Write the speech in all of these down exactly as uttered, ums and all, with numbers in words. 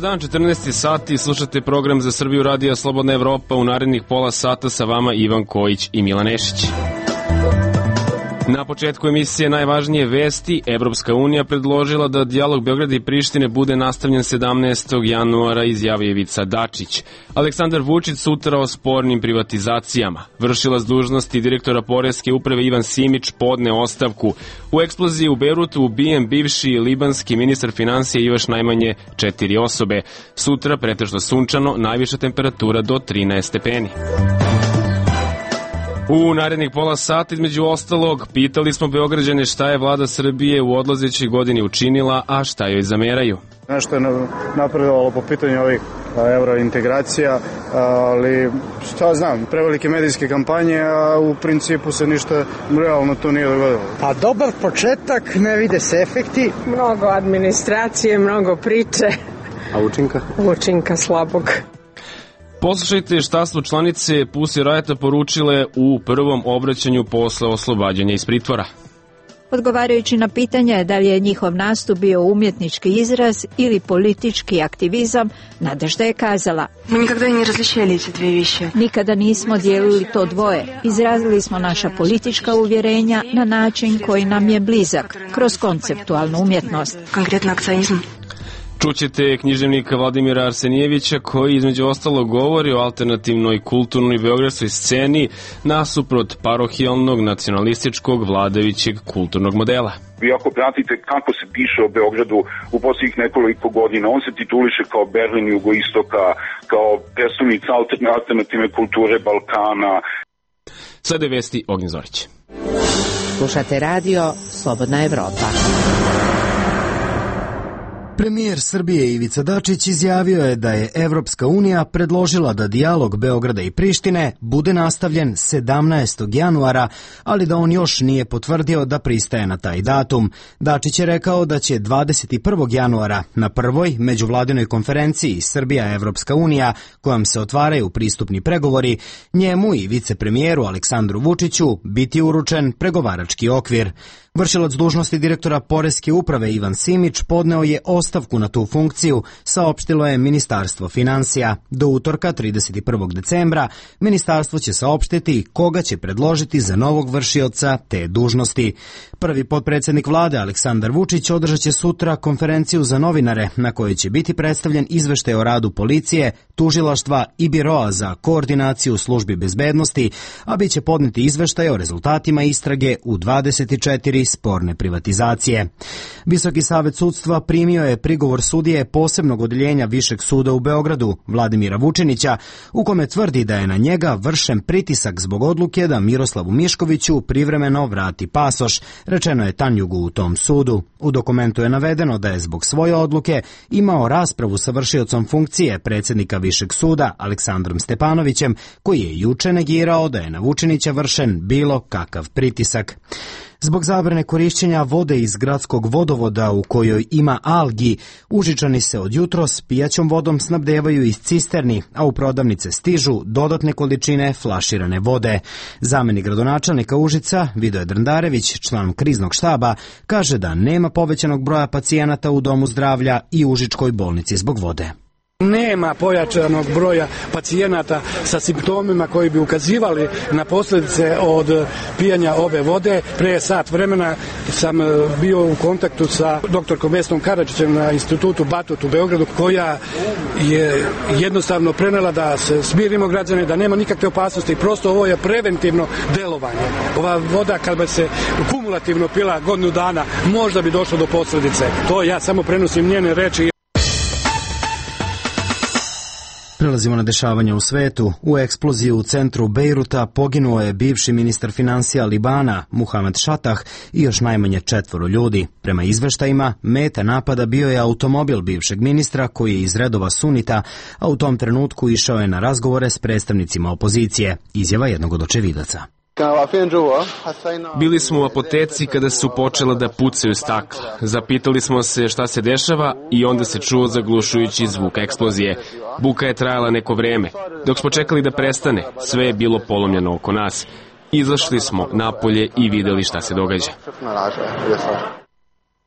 dan, četrnaesti sati, slušate program za Srbiju Radija Slobodna Evropa. U narednih pola sata sa vama Ivan Kojić i Milan Nešić. Na početku emisije najvažnije vesti. Evropska unija predložila da dijalog Beograda i Prištine bude nastavljen sedamnaestog januara, izjavio Ivica Dačić. Aleksandar Vučić sutra o spornim privatizacijama. Vršilac dužnosti direktora Poreske uprave Ivan Simić podne ostavku. U eksploziji u Bejrutu ubijen bivši libanski ministar finansija i još najmanje četiri osobe. Sutra pretežno sunčano, najviša temperatura do trinaest stepeni. U narednih pola sata, između ostalog, pitali smo Beograđane šta je vlada Srbije u odlazećoj godini učinila, a šta joj zameraju. Nešto je napredovalo po pitanju ovih eurointegracija, ali šta znam, prevelike medijske kampanje, a u principu se ništa realno to nije dogodilo. Pa dobar početak, ne vide se efekti. Mnogo administracije, mnogo priče. A učinka? Učinka slabog. Poslušajte šta su članice Pussy Riota poručile u prvom obraćanju posle oslobađanja iz pritvora. Odgovarajući na pitanje da li je njihov nastup bio umjetnički izraz ili politički aktivizam, Nadežda je kazala: Mi nikada ne različili te dve više. Nikada nismo dijelili to dvoje. Izrazili smo naša politička uvjerenja na način koji nam je blizak, kroz konceptualnu umjetnost. Konkretno akcionizam. Čućete književnika Vladimira Arsenijevića koji između ostalo govori o alternativnoj kulturnoj beogradskoj sceni nasuprot parohijalnog nacionalističkog vladajućeg kulturnog modela. Vi ako pratite kako se piše o Beogradu u posljednjih nekoliko godina, on se tituliše kao Berlin jugoistoka, kao predstavnica alternativne kulture Balkana. Sada je vesti Ognjen Zorić. Slušate radio Slobodna Evropa. Premijer Srbije Ivica Dačić izjavio je da je Evropska unija predložila da dijalog Beograda i Prištine bude nastavljen sedamnaestog januara, ali da on još nije potvrdio da pristaje na taj datum. Dačić je rekao da će dvadeset prvog januara na prvoj međuvladinoj konferenciji Srbija-Evropska unija, kojom se otvaraju pristupni pregovori, njemu i vicepremijeru Aleksandru Vučiću biti uručen pregovarački okvir. Vršilac dužnosti direktora Poreske uprave Ivan Simić podneo je ostavku na tu funkciju, saopštilo je Ministarstvo finansija. Do utorka trideset prvog decembra ministarstvo će saopštiti koga će predložiti za novog vršioca te dužnosti. Prvi potpredsjednik vlade Aleksandar Vučić održat će sutra konferenciju za novinare na kojoj će biti predstavljen izveštaj o radu policije, tužilaštva i biroa za koordinaciju službi bezbednosti, a bit će podneti izveštaj o rezultatima istrage u dvadeset četiri sporne privatizacije. Visoki savet sudstva primio je prigovor sudije posebnog odeljenja Višeg suda u Beogradu, Vladimira Vučinića, u kome tvrdi da je na njega vršen pritisak zbog odluke da Miroslavu Miškoviću privremeno vrati pasoš, rečeno je Tanjugu u tom sudu. U dokumentu je navedeno da je zbog svoje odluke imao raspravu sa vršiocom funkcije predsjednika Višeg suda Aleksandrom Stepanovićem, koji je juče negirao da je na Vučinića vršen bilo kakav pritisak. Zbog zabrane korišćenja vode iz gradskog vodovoda u kojoj ima algi, Užičani se od jutros pijaćom vodom snabdevaju iz cisterni, a u prodavnice stižu dodatne količine flaširane vode. Zamenik gradonačelnika Užica, Vidoje Drndarević, član kriznog štaba, kaže da nema povećanog broja pacijenata u domu zdravlja i Užičkoj bolnici zbog vode. Nema pojačanog broja pacijenata sa simptomima koji bi ukazivali na posljedice od pijanja ove vode. Pre sat vremena sam bio u kontaktu sa doktorkom Vesnom Karadžićem na institutu Batut u Beogradu, koja je jednostavno prenela da se smirimo građane, da nema nikakve opasnosti, prosto ovo je preventivno delovanje. Ova voda kad bi se kumulativno pila godinu dana, možda bi došlo do posljedice. To ja samo prenosim njene reči. Prelazimo na dešavanja u svetu. U eksploziju u centru Bejruta poginuo je bivši ministar finansija Libana, Muhamed Šatah, i još najmanje četvoro ljudi. Prema izveštajima, meta napada bio je automobil bivšeg ministra koji je iz redova sunita, a u tom trenutku išao je na razgovore s predstavnicima opozicije. Izjava jednog od očevidaca. Bili smo u apoteci kada su počela da pucaju stakla. Zapitali smo se šta se dešava i onda se čuo zaglušujući zvuk eksplozije. Buka je trajala neko vreme. Dok smo čekali da prestane, sve je bilo polomljeno oko nas. Izašli smo napolje i videli šta se događa.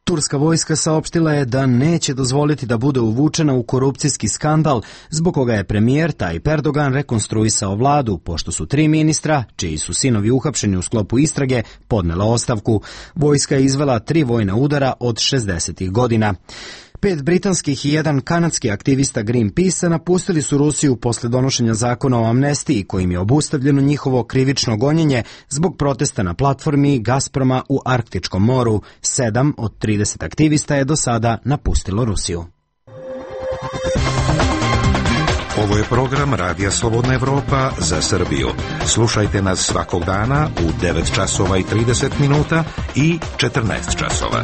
Turska vojska saopštila je da neće dozvoliti da bude uvučena u korupcijski skandal zbog koga je premijer Tayyip Erdogan rekonstruisao vladu, pošto su tri ministra, čiji su sinovi uhapšeni u sklopu istrage, podnela ostavku. Vojska je izvela tri vojna udara od šezdesetih godina. Pet britanskih i jedan kanadski aktivista Greenpeace napustili su Rusiju posle donošenja zakona o amnestiji kojim je obustavljeno njihovo krivično gonjenje zbog protesta na platformi Gazproma u Arktičkom moru. Sedam od trideset aktivista je do sada napustilo Rusiju. Ovo je program Radija Slobodna Evropa za Srbiju. Slušajte nas svakog dana u devet časova i trideset minuta i četrnaest časova.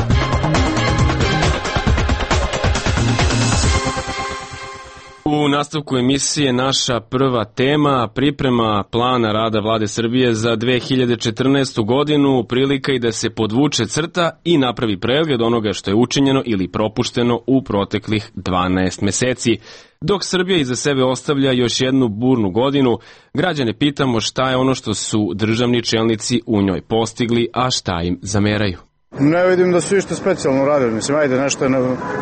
U nastavku emisije naša prva tema, priprema plana rada Vlade Srbije za dve hiljade četrnaestu godinu, prilika i da se podvuče crta i napravi pregled onoga što je učinjeno ili propušteno u proteklih dvanaest meseci. Dok Srbija iza sebe ostavlja još jednu burnu godinu, građane pitamo šta je ono što su državni čelnici u njoj postigli, a šta im zameraju. Ne vidim da su išto specijalno radili. Mislim, ajde, nešto je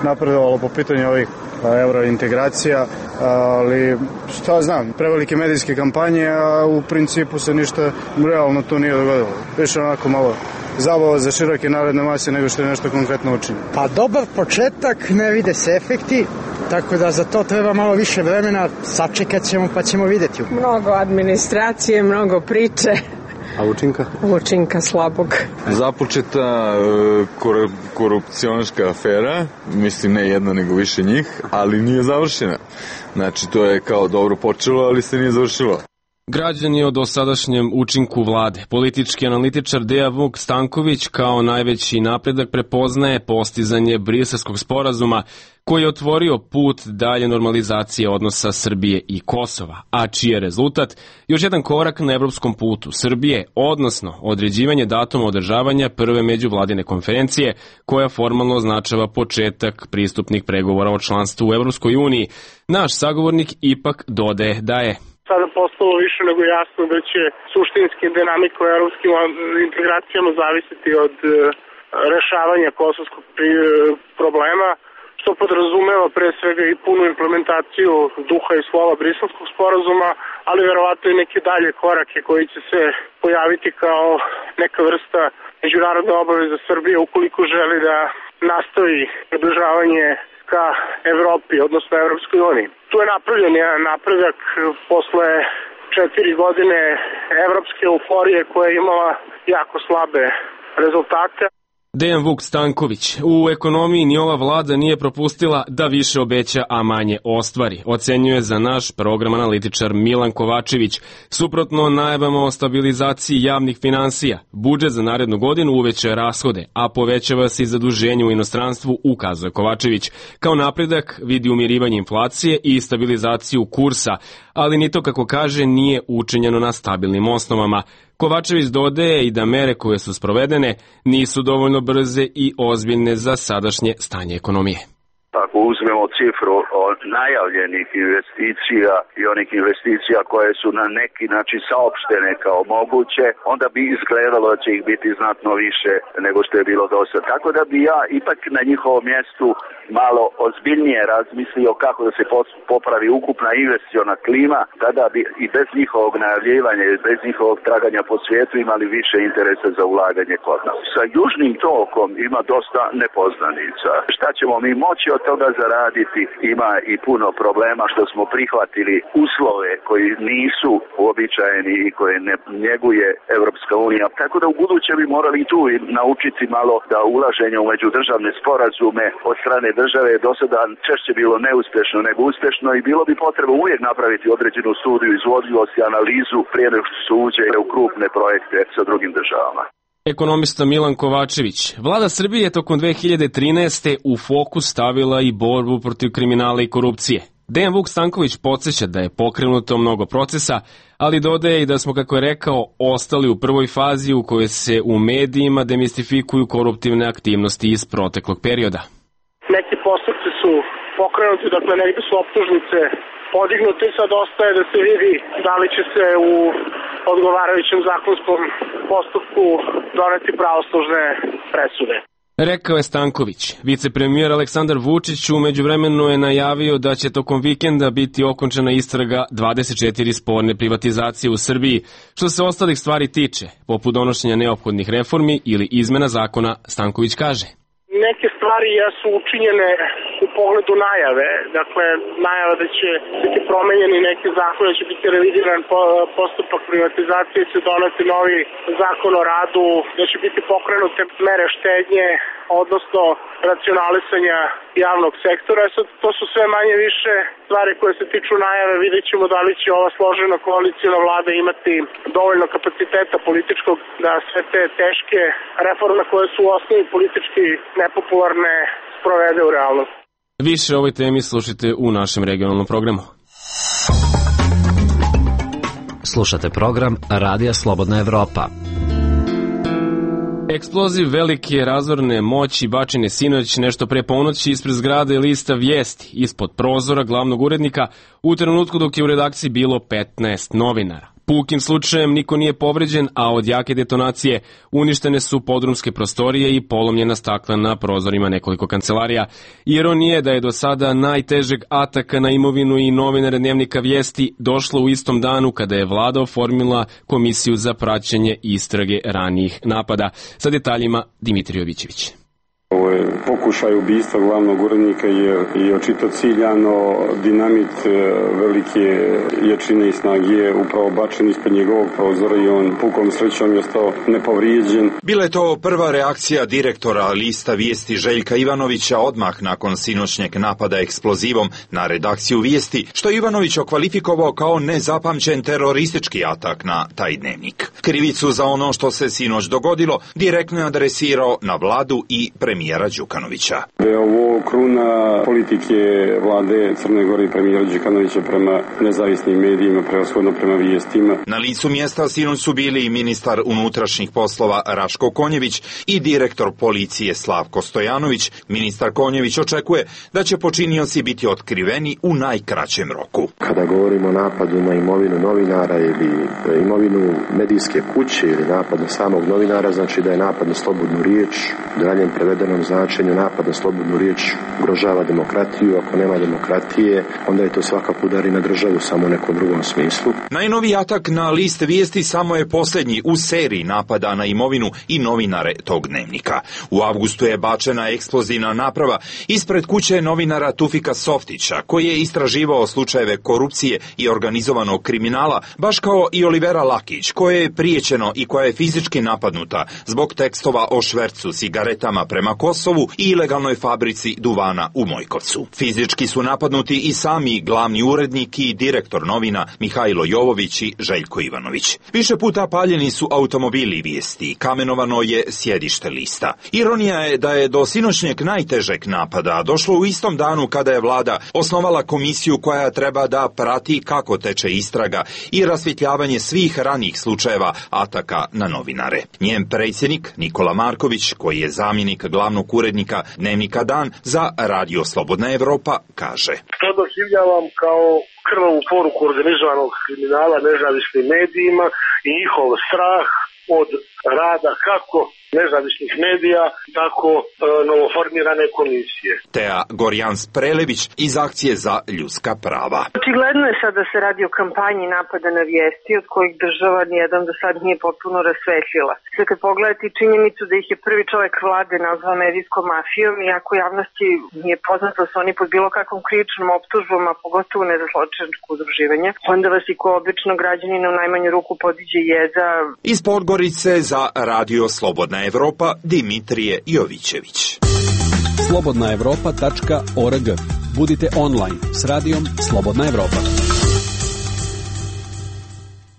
napredovalo po pitanju ovih eurointegracija, ali šta znam, prevelike medijske kampanje, a u principu se ništa realno to nije dogodilo. Više onako malo zabava za široke narodne mase nego što je nešto konkretno učinjeno. Pa dobar početak, ne vide se efekti, tako da za to treba malo više vremena, sačekat ćemo pa ćemo vidjeti. Mnogo administracije, mnogo priče. A učinka? Učinka slabog. Započeta uh, korupcionaška afera, mislim ne jedna nego više njih, ali nije završena. Znači to je kao dobro počelo, ali se nije završilo. Građani o dosadašnjem učinku vlade. Politički analitičar Dejan Vuk Stanković kao najveći napredak prepoznaje postizanje Briselskog sporazuma koji je otvorio put dalje normalizacije odnosa Srbije i Kosova, a čiji je rezultat još jedan korak na evropskom putu Srbije, odnosno određivanje datuma održavanja prve međuvladine konferencije koja formalno označava početak pristupnih pregovora o članstvu u Evropskoj uniji. Naš sagovornik ipak dodaje da je sada postalo više nego jasno da će suštinske dinamike u evropskim integracijama zavisiti od rešavanja kosovskog problema, što podrazumeva pre svega i punu implementaciju duha i slova Briselskog sporazuma, ali verovatno i neke dalje korake koji će se pojaviti kao neka vrsta međunarodne obaveze Srbije ukoliko želi da nastavi približavanje ka Evropi, odnosno Evropskoj uniji. Tu je napravljen jedan napredak posle četiri godine evropske euforije koja je imala jako slabe rezultate. Dejan Vuk Stanković. U ekonomiji ni ova vlada nije propustila da više obeća, a manje ostvari, ocenjuje za naš program analitičar Milan Kovačević. Suprotno najavama o stabilizaciji javnih finansija, budžet za narednu godinu uvećava rashode, a povećava se i zaduženje u inostranstvu, ukazuje Kovačević. Kao napredak vidi umirivanje inflacije i stabilizaciju kursa, ali ni to, kako kaže, nije učinjeno na stabilnim osnovama. Kovačević dodaje i da mere koje su sprovedene nisu dovoljno brze i ozbiljne za sadašnje stanje ekonomije. Ako uzmemo cifru od najavljenih investicija i onih investicija koje su na neki način saopštene kao moguće, onda bi izgledalo da će ih biti znatno više nego što je bilo do sad. Tako da bi ja ipak na njihovom mjestu malo ozbiljnije razmislio kako da se popravi ukupna investiciona klima, tada bi i bez njihovog najavljivanja i bez njihovog traganja po svijetu imali više interesa za ulaganje kod nas. Sa južnim tokom ima dosta nepoznanica. Šta ćemo mi moći od toga zaraditi? Ima i puno problema što smo prihvatili uslove koji nisu uobičajeni i koje ne njeguje Evropska unija. Tako da u buduće bi morali tu naučiti malo da ulaženje u međudržavne sporazume od strane države je do sada češće bilo neuspješno nego uspješno i bilo bi potrebno uvijek napraviti određenu studiju izvodljivosti, analizu prije nego što se uđe u krupne projekte sa drugim državama. Ekonomista Milan Kovačević. Vlada Srbije je tokom dve hiljade trinaeste. u fokus stavila i borbu protiv kriminala i korupcije. Dejan Vuk Stanković podsjeća da je pokrenuto mnogo procesa, ali dodaje i da smo, kako je rekao, ostali u prvoj fazi u kojoj se u medijima demistifikuju koruptivne aktivnosti iz proteklog perioda. Neki postupci su pokrenuti, dakle negde su optužnice podignuti, sad ostaje da se vidi da li će se u odgovarajućem zakonskom postupku doneti pravosnažne presude. Rekao je Stanković. Vicepremijer Aleksandar Vučić u međuvremenu je najavio da će tokom vikenda biti okončana istraga dvadeset četiri sporne privatizacije u Srbiji. Što se ostalih stvari tiče, poput donošenja neophodnih reformi ili izmena zakona, Stanković kaže. Neke stvari jesu učinjene u pogledu najave, dakle najava da će biti promenjeni neki zakon, da će biti revidiran postupak privatizacije, će doneti novi zakon o radu, da će biti pokrenute mere štednje, odnosno racionalisanja javnog sektora. Sad, to su sve manje više stvari koje se tiču najave. Vidjet ćemo da li će ova složena koalicijna vlada imati dovoljno kapaciteta političkog da sve te teške reforme koje su u osnovi politički nepopularne sprovede u realnost. Više o ovoj temi slušajte u našem regionalnom programu. Slušate program Radija Slobodna Evropa. Eksploziv velike razorne moći bačen je sinoć nešto pre ponoći ispred zgrade lista Vijesti, ispod prozora glavnog urednika, u trenutku dok je u redakciji bilo petnaest novinara. Pukim slučajem niko nije povređen, a od jake detonacije uništene su podrumske prostorije i polomljena stakla na prozorima nekoliko kancelarija. Ironija je da je do sada najtežeg ataka na imovinu i novinare Dnevnika Vijesti došlo u istom danu kada je vlada oformila komisiju za praćenje istrage ranijih napada. Sa detaljima Dimitrij Jovićević. Ovo je pokušaj ubistva glavnog urednika jer je očito ciljano dinamit velike jačine i snage je upravo bačen ispod njegovog prozora i on pukom srećom je ostao nepovrijeđen. Bila je to prva reakcija direktora lista Vijesti Željka Ivanovića odmah nakon sinoćnjeg napada eksplozivom na redakciju Vijesti, što je Ivanović okvalifikovao kao nezapamćen teroristički atak na taj dnevnik. Krivicu za ono što se sinoć dogodilo direktno je adresirao na vladu i premijera premijera Đukanovića. Ovo kruna politike vlade Crne Gore i premijera Đukanovića prema nezavisnim medijima, prevashodno prema vijestima. Na licu mjesta sinoć su bili i ministar unutrašnjih poslova Raško Konjević i direktor policije Slavko Stojanović. Ministar Konjević očekuje da će počinioci biti otkriveni u najkraćem roku. Kada govorimo o napadu na imovinu novinara ili imovinu medijske kuće ili napad na samog novinara, znači da je napad na slobodnu riječ, u daljem prevedenom značenju napad na slobodnu riječ ugrožava demokratiju. Ako nema demokratije, onda je to svakako udar i na državu, samo u nekom drugom smislu. Najnoviji atak na list Vijesti samo je posljednji u seriji napada na imovinu i novinare tog dnevnika. U avgustu je bačena eksplozivna naprava ispred kuće novinara Tufika Softića, koji je istraživao slučajeve korupcije i organizovanog kriminala, baš kao i Olivera Lakić, koje je prijećeno i koja je fizički napadnuta zbog tekstova o švercu cigaretama prema Kosovu i ilegalnoj fabrici duvana u Mojkovcu. Fizički su napadnuti i sami glavni urednik i direktor novina Mihajlo Jovović i Željko Ivanović. Više puta paljeni su automobili Vijesti, kamenovano je sjedište lista. Ironija je da je do sinoćnjeg najtežeg napada došlo u istom danu kada je vlada osnovala komisiju koja treba da prati kako teče istraga i rasvjetljavanje svih ranijih slučajeva ataka na novinare. Njen predsjednik Nikola Marković, koji je zamjenik glavnog urednika Dnevnika Dan za Radio Slobodna Evropa, kaže: To doživljavam kao krvavu poruku organizovanog kriminala nezavisnim medijima i njihov strah od rada kako nezavisnih medija, tako e, novoformirane komisije. Tea Gorjans-Prelević iz Akcije za ljudska prava. Očigledno je sad da se radi o kampanji napada na Vijesti, od kojih država nijedan do sad nije potpuno rasvetljila. Sve kad pogledati činjenicu da ih je prvi čovjek vlade nazvao medijskom mafijom, iako javnosti nije poznato da su oni pod bilo kakvom krivičnom optužbom, a pogotovo ne za zločinačko udruživanje, onda vas i ko obično građanina u najmanju ruku podiđe jeza. Iz Podgorice za Radio Slobodna Evropa, Dimitrije Jovićević. slobodna evropa tačka org. Budite online s radijom Slobodna Evropa.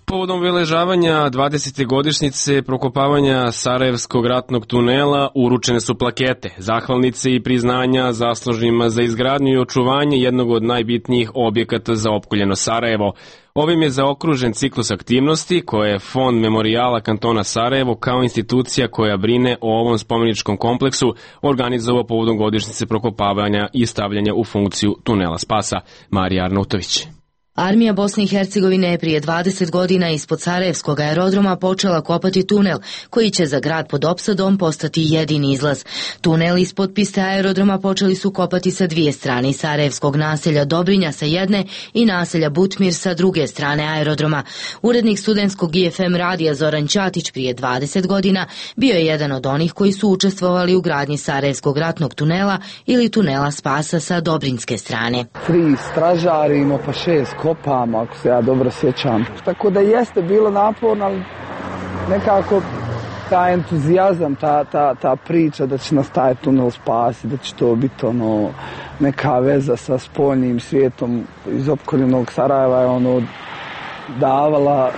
Povodom obeležavanja dvadesete godišnjice prokopavanja Sarajevskog ratnog tunela uručene su plakete, zahvalnice i priznanja zaslužnima za izgradnju i očuvanje jednog od najbitnijih objekata za opkoljeno Sarajevo. Ovim je zaokružen ciklus aktivnosti koje je Fond memorijala kantona Sarajevo kao institucija koja brine o ovom spomeničkom kompleksu organizovao povodom godišnjice prokopavanja i stavljanja u funkciju tunela spasa. Marija Arnautović. Armija Bosne i Hercegovine je prije dvadeset godina ispod Sarajevskog aerodroma počela kopati tunel, koji će za grad pod opsadom postati jedini izlaz. Tunel ispod piste aerodroma počeli su kopati sa dvije strane, Sarajevskog naselja Dobrinja sa jedne i naselja Butmir sa druge strane aerodroma. Urednik studentskog I F M radija Zoran Ćatić prije dvadeset godina bio je jedan od onih koji su učestvovali u gradnji Sarajevskog ratnog tunela ili tunela spasa sa Dobrinjske strane. Tri stražari, ima pa šest kopama, ako se ja dobro sjećam. Tako da jeste bilo naporno, ali nekako taj entuzijazam, ta, ta, ta priča da će nas taj tunel spasiti, da će to biti ono, neka veza sa spoljnim svijetom iz opkoljenog Sarajeva je ono davala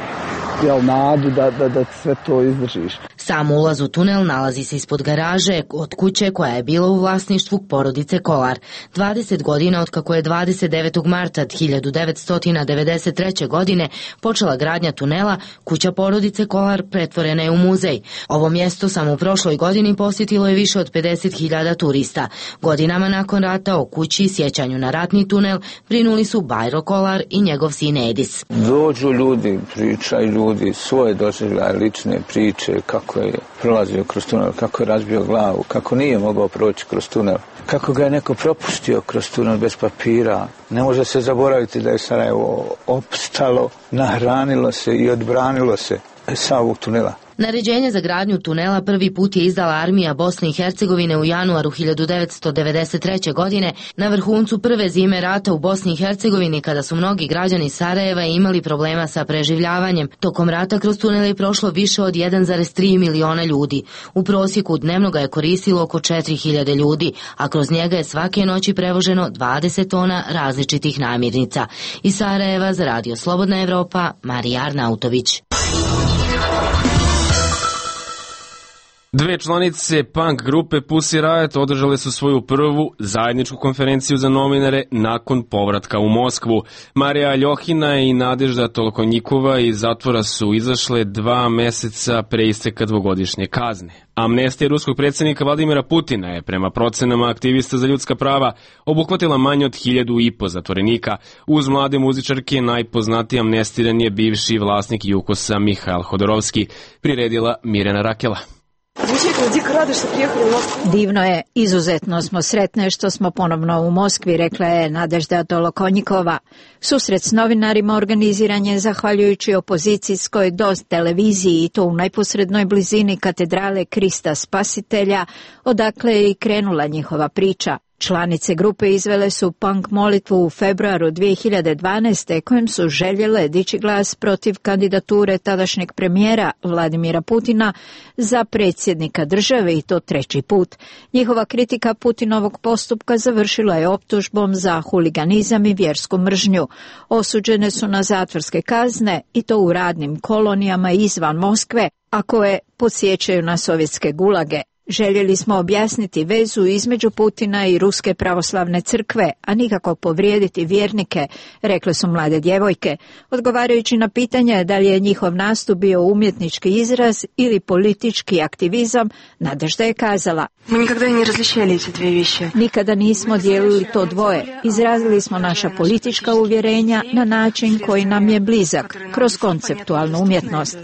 jel, nadu da, da, da sve to izdržiš. Sam ulaz u tunel nalazi se ispod garaže od kuće koja je bila u vlasništvu porodice Kolar. dvadeset godina od kako je dvadeset devetog marta hiljadu devetsto devedeset treće. godine počela gradnja tunela, kuća porodice Kolar pretvorena je u muzej. Ovo mjesto samo u prošloj godini posjetilo je više od pedeset hiljada turista. Godinama nakon rata o kući i sjećanju na ratni tunel brinuli su Bajro Kolar i njegov sin Edis. Dođu ljudi, pričaju ljudi svoje doživljaje, lične priče, kako je prolazio kroz tunel, kako je razbio glavu, kako nije mogao proći kroz tunel, kako ga je neko propustio kroz tunel bez papira. Ne može se zaboraviti da je Sarajevo opstalo, nahranilo se i odbranilo se sa ovog tunela. Naređenje za gradnju tunela prvi put je izdala armija Bosne i Hercegovine u januaru hiljadu devetsto devedeset treće. godine na vrhuncu prve zime rata u Bosni i Hercegovini, kada su mnogi građani Sarajeva imali problema sa preživljavanjem. Tokom rata kroz tunel je prošlo više od jedan zarez tri miliona ljudi. U prosjeku dnevno ga je koristilo oko četiri hiljade ljudi, a kroz njega je svake noći prevoženo dvadeset tona različitih namirnica. Iz Sarajeva za Radio Slobodna Evropa, Marija Arnautović. Dve članice punk grupe Pussy Riot održale su svoju prvu zajedničku konferenciju za novinare nakon povratka u Moskvu. Marija Aljohina i Nadežda Tolokonjikova iz zatvora su izašle dva meseca pre isteka dvogodišnje kazne. Amnestija ruskog predsjednika Vladimira Putina je, prema procenama aktivista za ljudska prava, obuhvatila manje od hiljadu i po zatvorenika. Uz mlade muzičarke najpoznatiji amnestiran je bivši vlasnik Jukosa Mihail Hodorovski, priredila Mirjana Rakela. Divno je, izuzetno smo sretne što smo ponovno u Moskvi, rekla je Nadežda Tolokonjikova. Susret s novinarima organiziran je zahvaljujući opozicijskoj DOS televiziji i to u najposrednoj blizini katedrale Krista Spasitelja, odakle je i krenula njihova priča. Članice grupe izvele su punk molitvu u februaru dvije hiljade dvanaeste. kojim su željele dići glas protiv kandidature tadašnjeg premijera Vladimira Putina za predsjednika države i to treći put. Njihova kritika Putinovog postupka završila je optužbom za huliganizam i vjersku mržnju. Osuđene su na zatvorske kazne i to u radnim kolonijama izvan Moskve, a koje podsjećaju na sovjetske gulage. Željeli smo objasniti vezu između Putina i Ruske pravoslavne crkve, a nikako povrijediti vjernike, rekle su mlade djevojke. Odgovarajući na pitanje da li je njihov nastup bio umjetnički izraz ili politički aktivizam, Nadežda je kazala: Nikada nismo dijelili to dvoje. Izrazili smo naša politička uvjerenja na način koji nam je blizak, kroz konceptualnu umjetnost.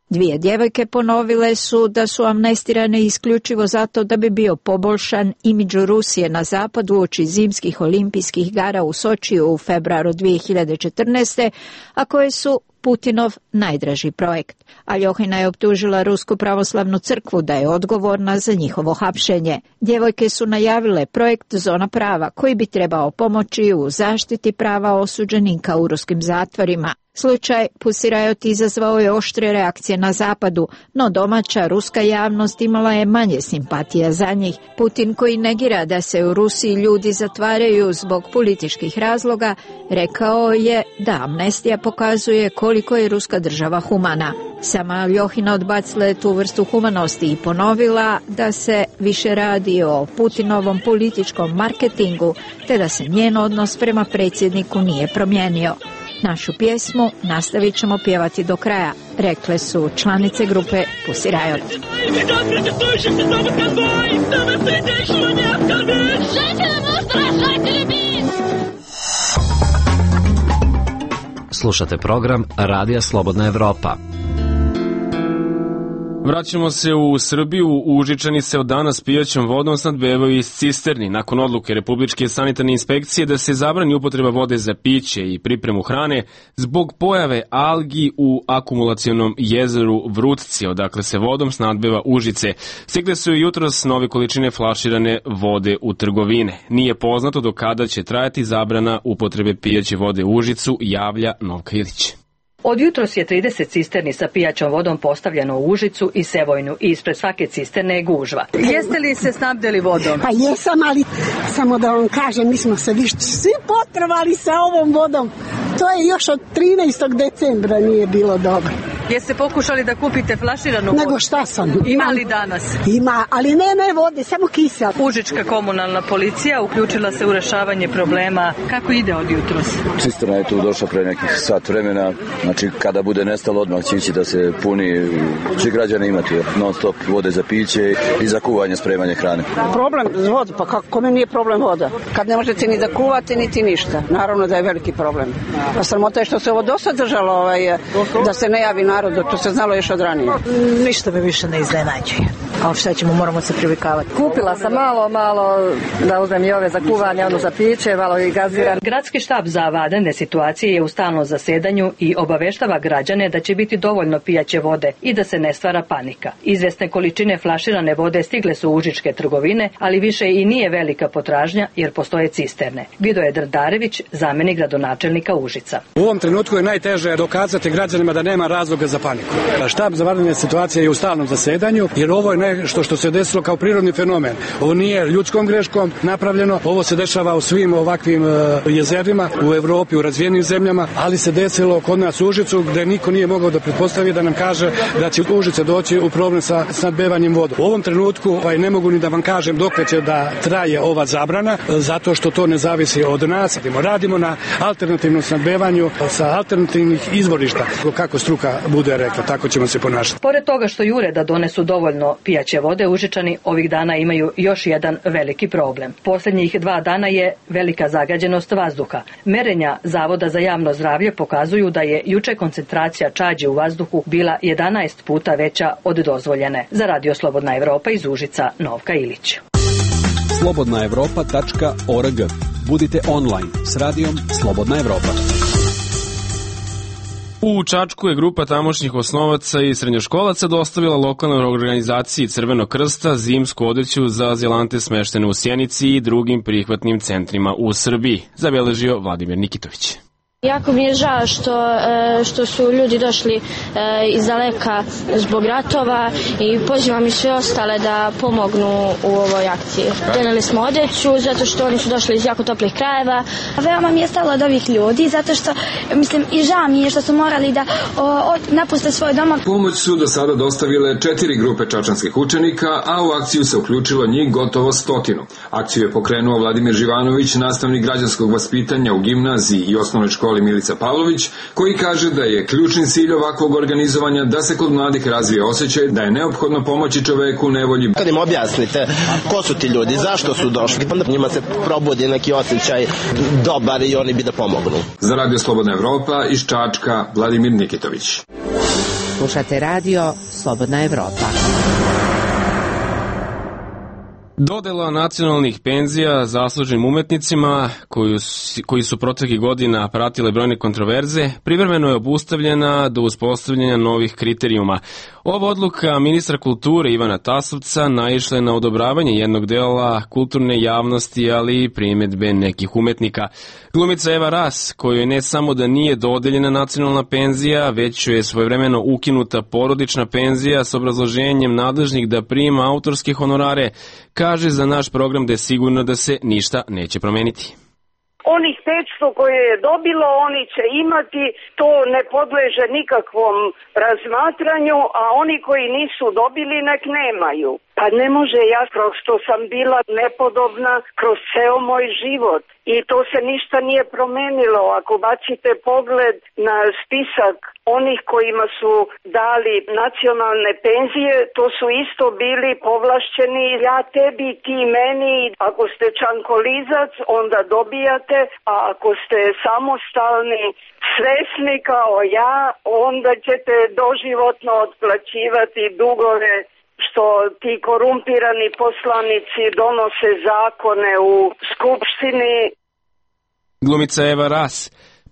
Dvije djevojke ponovile su da su amnestirane isključivo zato da bi bio poboljšan imidž Rusije na zapadu uoči zimskih olimpijskih igara u Sočiju u februaru dvije hiljade četrnaeste. a koje su Putinov najdraži projekt. Aljohina je optužila Rusku pravoslavnu crkvu da je odgovorna za njihovo hapšenje. Djevojke su najavile projekt Zona prava, koji bi trebao pomoći u zaštiti prava osuđenika u ruskim zatvorima. Slučaj Pussy Riot izazvao je oštre reakcije na zapadu, no domaća ruska javnost imala je manje simpatija za njih. Putin, koji negira da se u Rusiji ljudi zatvaraju zbog političkih razloga, rekao je da amnestija pokazuje koliko je ruska država humana. Sama Aljohina odbacila je tu vrstu humanosti i ponovila da se više radi o Putinovom političkom marketingu, te da se njen odnos prema predsjedniku nije promijenio. Našu pjesmu nastavit ćemo pjevati do kraja, rekle su članice grupe Pussy Riot. Slušate program Radija Slobodna Evropa. Vraćamo se u Srbiju. Užičani se od danas pijaćom vodom snabdevaju iz cisterni nakon odluke Republičke sanitarne inspekcije da se zabrani upotreba vode za piće i pripremu hrane zbog pojave algi u akumulacionom jezeru Vrutci, odakle se vodom snabdeva Užice. Stigle su i jutros nove količine flaširane vode u trgovine. Nije poznato do kada će trajati zabrana upotrebe pijaće vode u Užicu, javlja Novka Ilić. Od jutros je trideset cisterni sa pijaćom vodom postavljeno u Užicu i Sevojnu i ispred svake cisterne je gužva. Jeste li se snabdeli vodom? Pa jesam, ali samo da vam kažem, mi smo se viš svi potrebali sa ovom vodom. To je još od trinaestog decembra nije bilo dobro. Jeste pokušali da kupite flaširanu vodu? Nego šta sam? Ima li danas? Ima, ali ne, ne vode, samo kisel. Užička komunalna policija uključila se u rešavanje problema. Kako ide od jutros? Cisterna je tu došla pre nekih sat vremena. Znači, kada bude nestalo, odmah će ići da se puni. Će građani imati non stop vode za piće i za kuvanje, spremanje hrane. Problem za vodu, pa kako, kome nije problem voda? Kad ne možete ni da kuvate, niti ništa. Naravno da je veliki problem. Pa sramota je što se ovo dosad držalo, ovaj, da se ne javi narodu, to se znalo još od ranije. Ništa me više ne iznenađuje. Ali šta ćemo, moramo se privikavati. Kupila sam malo, malo da uzmem i ove za kuvanje, ono za piće, malo i gaziran. Gradski štab za vanredne situacije je u stalnom zasedanju i obaveštava građane da će biti dovoljno pijaće vode i da se ne stvara panika. Izvesne količine flaširane vode stigle su u užičke trgovine, ali više i nije velika potražnja jer postoje cisterne. Vidoje Drdarević, zamenik gradonačelnika Užica. U ovom trenutku je najteže dokazati građanima da nema razloga za paniku. Štab za vanredne situacije je u stalnom zasedanju jer ovo je nešto što se desilo kao prirodni fenomen. Ovo nije ljudskom greškom napravljeno, ovo se dešava u svim ovakvim jezerima u Evropi, u razvijenim zemljama, ali se desilo kod nas u Užicu gde niko nije mogao da pretpostavi da nam kaže da će Užice doći u problem sa snabdevanjem vodom. U ovom trenutku ovaj, ne mogu ni da vam kažem dok će da traje ova zabrana, zato što to ne zavisi od nas. Radimo na alternativnom snabdevanju sa alternativnih izvorišta. Kako struka bude rekla, tako ćemo se ponašati. Pored toga što jure da donesu dovoljno pijaće vode, Užičani ovih dana imaju još jedan veliki problem. Posljednjih dva dana je velika zagađenost vazduha. Merenja Zavoda za javno zdravlje pokazuju da je juče koncentracija čađi u vazduhu bila jedanaest puta veća od dozvoljene. Za Radio Slobodna Evropa iz Užica, Novka Ilić. slobodna evropa tačka org. Budite online s radijom Slobodna Evropa. U Čačku je grupa tamošnjih osnovaca i srednjoškolaca dostavila lokalnoj organizaciji Crvenog krsta zimsku odeću za azilante smeštene u Sjenici i drugim prihvatnim centrima u Srbiji, zabeležio Vladimir Nikitović. Jako mi je žao što, što su ljudi došli iz daleka zbog ratova i pozivam i sve ostale da pomognu u ovoj akciji. Doneli smo odeću zato što oni su došli iz jako toplih krajeva. Veoma mi je stalo od ovih ljudi zato što, mislim, i žao mi je što su morali da o, o, napuste svoj dom. Pomoć su do sada dostavile četiri grupe čačanskih učenika, a u akciju se uključilo njih gotovo stotinu. Akciju je pokrenuo Vladimir Živanović, nastavnik građanskog vaspitanja u gimnaziji i osnovnoj školi Milica Pavlović, koji kaže da je ključni cilj ovakvog organizovanja da se kod mladih razvije osjećaj da je neophodno pomoći čoveku u nevolji. Kad im objasnite ko su ti ljudi, zašto su došli, onda njima se probudi neki osjećaj dobar i oni bi da pomognu. Za Radio Slobodna Evropa iz Čačka, Vladimir Nikitović. Slušate Radio Slobodna Evropa. Dodela nacionalnih penzija zasluženim umetnicima koju, koji su proteklih godina pratile brojne kontroverze privremeno je obustavljena do uspostavljanja novih kriterijuma. Ova odluka ministra kulture Ivana Tasovca naišla je na odobravanje jednog dela kulturne javnosti, ali i primjedbe nekih umetnika. Glumica Eva Ras, kojoj ne samo da nije dodeljena nacionalna penzija, već je svojevremeno ukinuta porodična penzija s obrazloženjem nadležnih da prima autorske honorare, kaže za naš program da je sigurno da se ništa neće promeniti. Onih petsto koje je dobilo, oni će imati, to ne podleže nikakvom razmatranju, a oni koji nisu dobili nek nemaju. Pa ne može, ja kroz što sam bila nepodobna kroz ceo moj život i to se ništa nije promenilo. Ako bacite pogled na spisak onih kojima su dali nacionalne penzije, to su isto bili povlašćeni, ja tebi, ti meni. Ako ste čankolizac, onda dobijate, a ako ste samostalni svesni kao ja, onda ćete doživotno otplaćivati dugove što ti korumpirani poslanici donose zakone u skupštini. Glumica Eva Ras.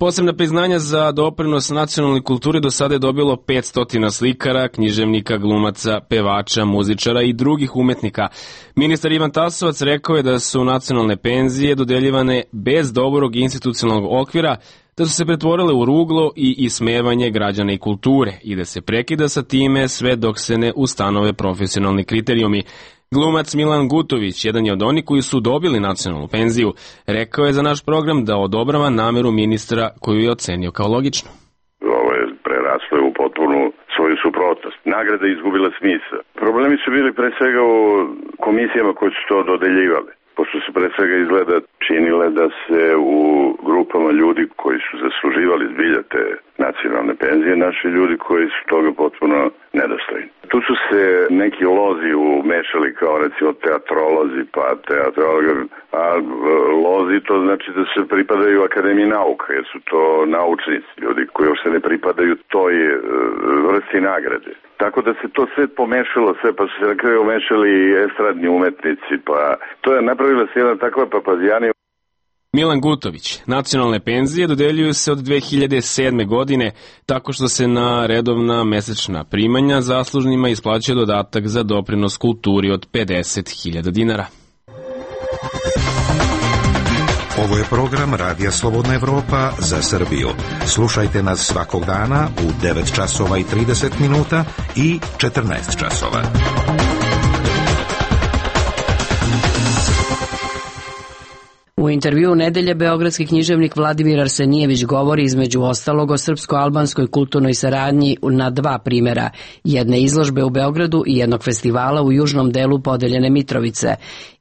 Posebna priznanja za doprinos nacionalnoj kulturi do sada je dobilo petsto slikara, književnika, glumaca, pevača, muzičara i drugih umetnika. Ministar Ivan Tasovac rekao je da su nacionalne penzije dodeljivane bez dobrog institucionalnog okvira, da su se pretvorile u ruglo i ismevanje građana i kulture i da se prekida sa time sve dok se ne ustanove profesionalni kriterijumi. Glumac Milan Gutović, jedan je od onih koji su dobili nacionalnu penziju, rekao je za naš program da odobrava nameru ministra koju je ocenio kao logično. Ovo je preraslo u potpunu svoju suprotnost. Nagrade izgubile smisla. Problemi su bili pre svega u komisijama koje su to dodeljivale, pošto su pre svega izgleda činile da se u grupama ljudi koji su zasluživali zbilja te nacionalne penzije, naši ljudi koji su toga potpuno nedostojni. Tu su se neki lozi umešali kao recimo teatrolozi, pa teatrologi, a lozi to znači da se pripadaju Akademiji nauka, jer su to naučnici, ljudi koji uopšte ne pripadaju toj vrsti nagrade. Tako da se to sve pomešalo, sve, pa su se na kraju umešali estradni umetnici, pa to je napravila se jedna takva papazijana. Milan Gutović. Nacionalne penzije dodeljuju se od dve hiljade sedme. godine tako što se na redovna mesečna primanja zaslužnima isplaćuje dodatak za doprinos kulturi od pedeset hiljada dinara. Ovo je program Radija Slobodna Evropa za Srbiju. Slušajte nas svakog dana u devet časova i trideset minuta i četrnaest časova. U intervjuu nedelje beogradski književnik Vladimir Arsenijević govori između ostalog o srpsko-albanskoj kulturnoj saradnji na dva primjera, jedne izložbe u Beogradu i jednog festivala u južnom delu podeljene Mitrovice.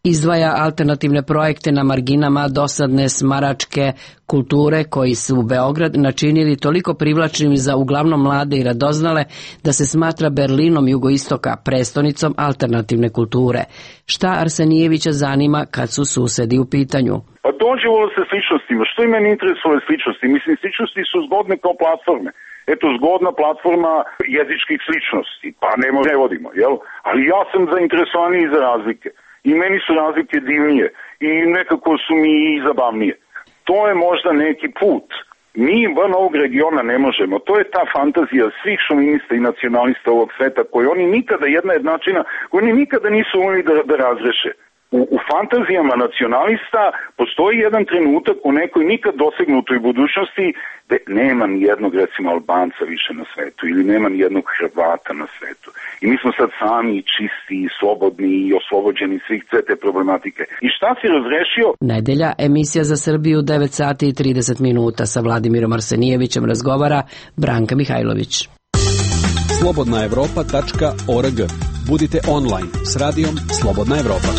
Izdvaja alternativne projekte na marginama dosadne smaračke kulture koji su Beograd načinili toliko privlačnim za uglavnom mlade i radoznale da se smatra Berlinom jugoistoka, prestonicom alternativne kulture. Šta Arsenijevića zanima kad su susedi u pitanju? Pa dođevalo se sličnostima. Što i meni interesuje sličnosti? Mislim, sličnosti su zgodne kao platforme. Eto, zgodna platforma jezičkih sličnosti. Pa ne, ne vodimo, jel? Ali ja sam zainteresovaniji za razlike. I meni su razlike divnije. I nekako su mi i zabavnije. To je možda neki put. Mi van ovog regiona ne možemo. To je ta fantazija svih šovinista i nacionalista ovog sveta koji oni nikada, jedna jednačina, koji oni nikada nisu umeli da, da razreše. U, u fantazijama nacionalista postoji jedan trenutak u nekoj nikad dosegnutoj budućnosti da nema ni jednog recimo Albanca više na svetu ili nema ni jednog Hrvata na svetu. I mi smo sad sami čisti i slobodni i oslobođeni svih sve te problematike. I šta si razrešio? Nedelja, emisija za Srbiju, devet sati i trideset minuta. Sa Vladimirom Arsenijevićem razgovara Branka Mihajlović. slobodna evropa tačka org. Budite online s radijom Slobodna Evropa.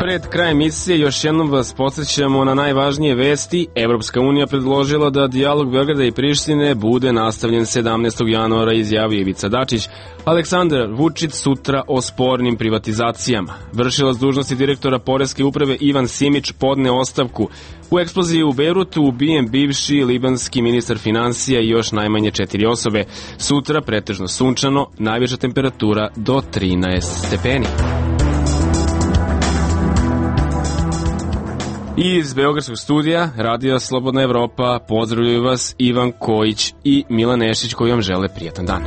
Pred krajem emisije još jednom vas podsjećamo na najvažnije vesti. Evropska unija predložila da dijalog Beograda i Prištine bude nastavljen sedamnaestog januara, izjavio Ivica Dačić. Aleksandar Vučić sutra o spornim privatizacijama. Vršilac dužnosti direktora Poreske uprave Ivan Simić podne ostavku. U eksploziji u Bejrutu ubijen bivši libanski ministar finansija i još najmanje četiri osobe. Sutra pretežno sunčano, najviša temperatura do trinaest stepeni. Iz Beogradskog studija Radija Slobodna Evropa pozdravljaju vas Ivan Kojić i Milan Nešić koji vam žele prijatan dan.